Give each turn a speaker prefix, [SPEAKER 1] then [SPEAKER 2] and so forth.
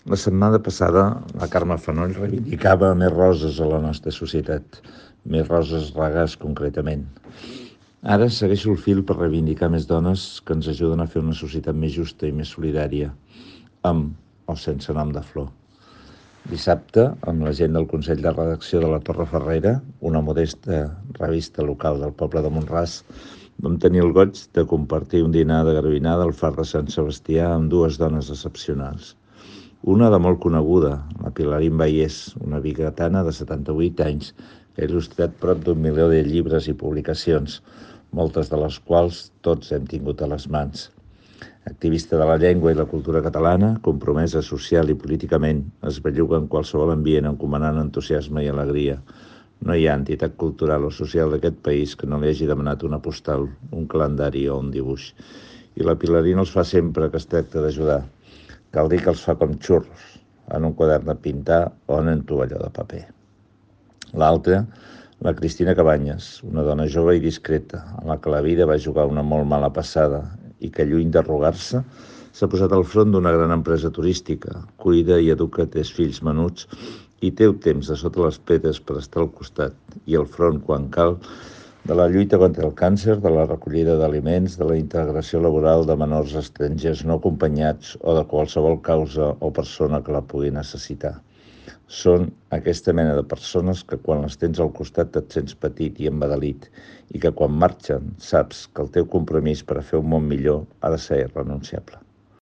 [SPEAKER 1] La setmana passada, la Carme Fanoll reivindicava més roses a la nostra societat, més roses regars concretament. Ara segueixo el fil per reivindicar més dones que ens ajuden a fer una societat més justa i més solidària, amb o sense nom de flor. Dissabte, amb la gent del Consell de Redacció de la Torre Ferrera, una modesta revista local del poble de Mont-ras, vam tenir el goig de compartir un dinar de garbinada al far de Sant Sebastià amb dues dones excepcionals. Una de molt coneguda, la Pilarín Vallès, una biguetana de 78 anys, que ha il·lustrat prop d'1 milió de llibres i publicacions, moltes de les quals tots hem tingut a les mans. Activista de la llengua i la cultura catalana, compromesa social i políticament, es belluga en qualsevol ambient encomanant entusiasme i alegria. No hi ha entitat cultural o social d'aquest país que no li hagi demanat una postal, un calendari o un dibuix. I la Pilarín els fa sempre que es tracta d'ajudar. Cal dir que els fa com xurros, en un quadern de pintar o en un tovalló de paper. L'altra, la Cristina Cabanyes, una dona jove i discreta, a la que la vida va jugar una molt mala passada i que, lluny d'arrugar-se, s'ha posat al front d'una gran empresa turística, cuida i educa 3 fills menuts i té el temps de sota les pedres per estar al costat i al front quan cal de la lluita contra el càncer, de la recollida d'aliments, de la integració laboral de menors estrangers no acompanyats o de qualsevol causa o persona que la pugui necessitar. Són aquesta mena de persones que quan les tens al costat et sents petit i embadalit i que quan marxen saps que el teu compromís per a fer un món millor ha de ser irrenunciable.